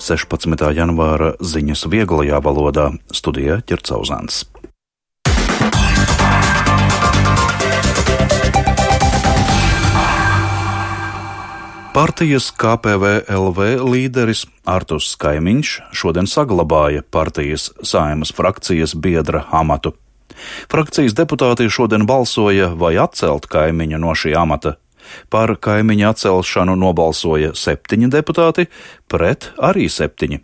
16. janvāra ziņas vieglajā valodā, studijā Ķercauzāns. Partijas KPVLV līderis Arturs Kaimiņš šodien saglabāja partijas Saeimas frakcijas biedra amatu. Frakcijas deputāti šodien balsoja, vai atcelt Kaimiņu no šī amata. Par Kaimiņa atcelšanu nobalsoja 7 deputāti, pret arī 7.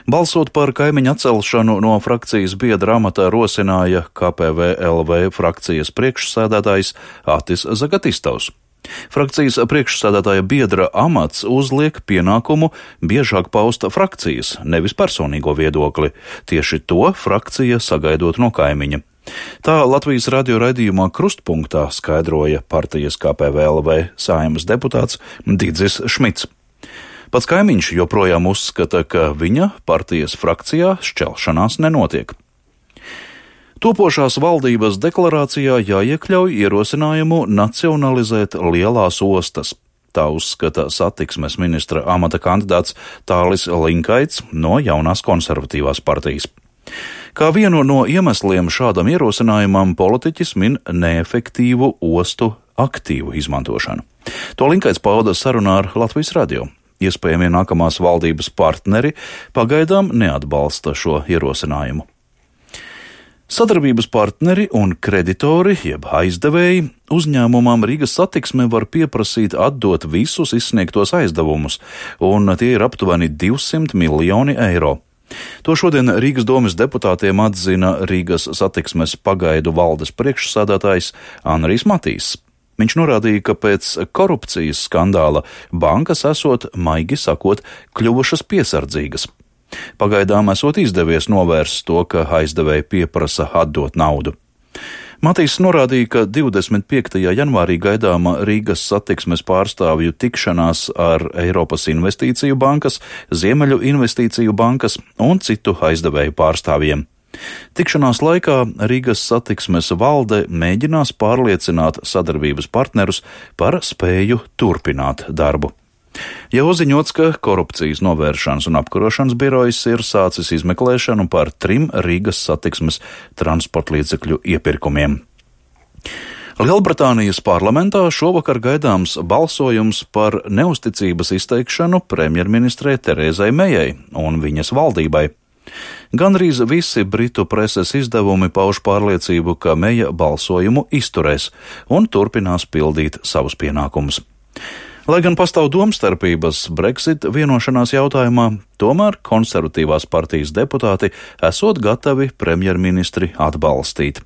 Balsot par Kaimiņa atcelšanu no frakcijas biedra amata rosināja KPVLV frakcijas priekšsēdētājs Atis Zagatistovs. Frakcijas priekšsēdētāja biedra amats uzliek pienākumu biežāk paust frakcijas, nevis personīgo viedokli. Tieši to frakcija sagaidot no Kaimiņa. Tā Latvijas radio raidījumā Krustpunktā skaidroja partijas KPVLV Saeimas deputāts Didzis Šmits. Pats Kaimiņš joprojām uzskata, ka viņa partijas frakcijā šķelšanās nenotiek. Topošās valdības deklarācijā jāiekļauj ierosinājumu nacionalizēt lielās ostas. Tā uzskata satiksmes ministra amata kandidāts Tālis Linkaits no jaunās konservatīvās partijas. Kā vienu no iemesliem šādam ierosinājumam politiķis min neefektīvu ostu aktīvu izmantošanu. To Linkaits pauda sarunā ar Latvijas radio. Iespējamie nākamās valdības partneri pagaidām neatbalsta šo ierosinājumu. Sadarbības partneri un kreditori, jeb aizdevēji, uzņēmumam Rīgas satiksme var pieprasīt atdot visus izsniegtos aizdevumus, un tie ir aptuveni 200 miljoni eiro. To šodien Rīgas domes deputātiem atzina Rīgas satiksmes pagaidu valdes priekšsādātājs Anrijs Matīs. Viņš norādīja, ka pēc korupcijas skandāla bankas esot, maigi sakot, kļuvušas piesardzīgas. Pagaidām esot izdevies novērst to, ka aizdevēji pieprasa atdot naudu. Matīs norādīja, ka 25. janvārī gaidāma Rīgas satiksmes pārstāvju tikšanās ar Eiropas Investīciju bankas, Ziemeļu Investīciju bankas un citu aizdevēju pārstāvjiem. Tikšanās laikā Rīgas satiksmes valde mēģinās pārliecināt sadarbības partnerus par spēju turpināt darbu. Jau ziņots, ka korupcijas novēršanas un apkarošanas birojas ir sācis izmeklēšanu par 3 Rīgas satiksmes transportlīdzekļu iepirkumiem. Lielbritānijas parlamentā šovakar gaidāms balsojums par neusticības izteikšanu premjerministrei Terezai Mejai un viņas valdībai. Gandrīz visi Britu preses izdevumi pauž pārliecību, ka Meja balsojumu izturēs un turpinās pildīt savus pienākumus. Lai gan pastāv domstarpības Brexit vienošanās jautājumā, tomēr konservatīvās partijas deputāti esot gatavi premjerministri atbalstīt.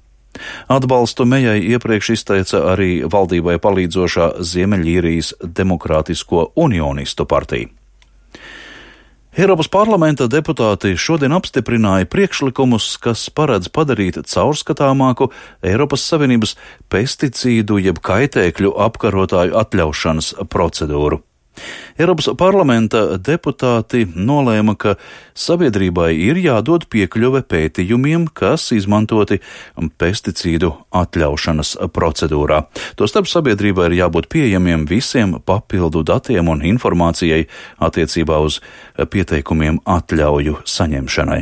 Atbalstu Mejai iepriekš izteica arī valdībai palīdzošā Ziemeļīrijas Demokrātisko unionistu partija. Eiropas parlamenta deputāti šodien apstiprināja priekšlikumus, kas paredz padarīt caurskatāmāku Eiropas Savienības pesticīdu jeb kaitēkļu apkarotāju atļaušanas procedūru. Eiropas parlamenta deputāti nolēma, ka sabiedrībai ir jādod piekļuve pētījumiem, kas izmantoti pesticīdu atļaušanas procedūrā. Tostarp sabiedrībai ir jābūt pieejamiem visiem papildu datiem un informācijai attiecībā uz pieteikumiem atļauju saņemšanai.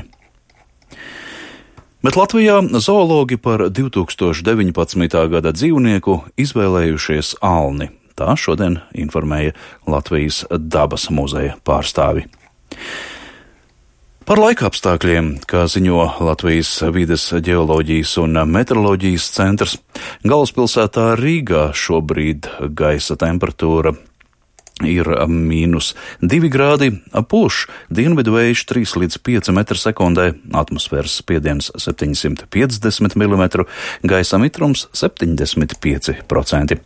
Bet Latvijā zoologi par 2019. gada dzīvnieku izvēlējušies alni. Tā šodien informēja Latvijas dabas muzeja pārstāvi. Par laikapstākļiem, kā ziņo Latvijas vides ģeoloģijas un meteoroloģijas centrs, galvaspilsētā Rīgā šobrīd gaisa temperatūra ir -2 grādi, pūš dienvidu vējš 3 līdz 5 m/sekundē, atmosfēras spiediens 750 mm, gaisa mitrums 75%.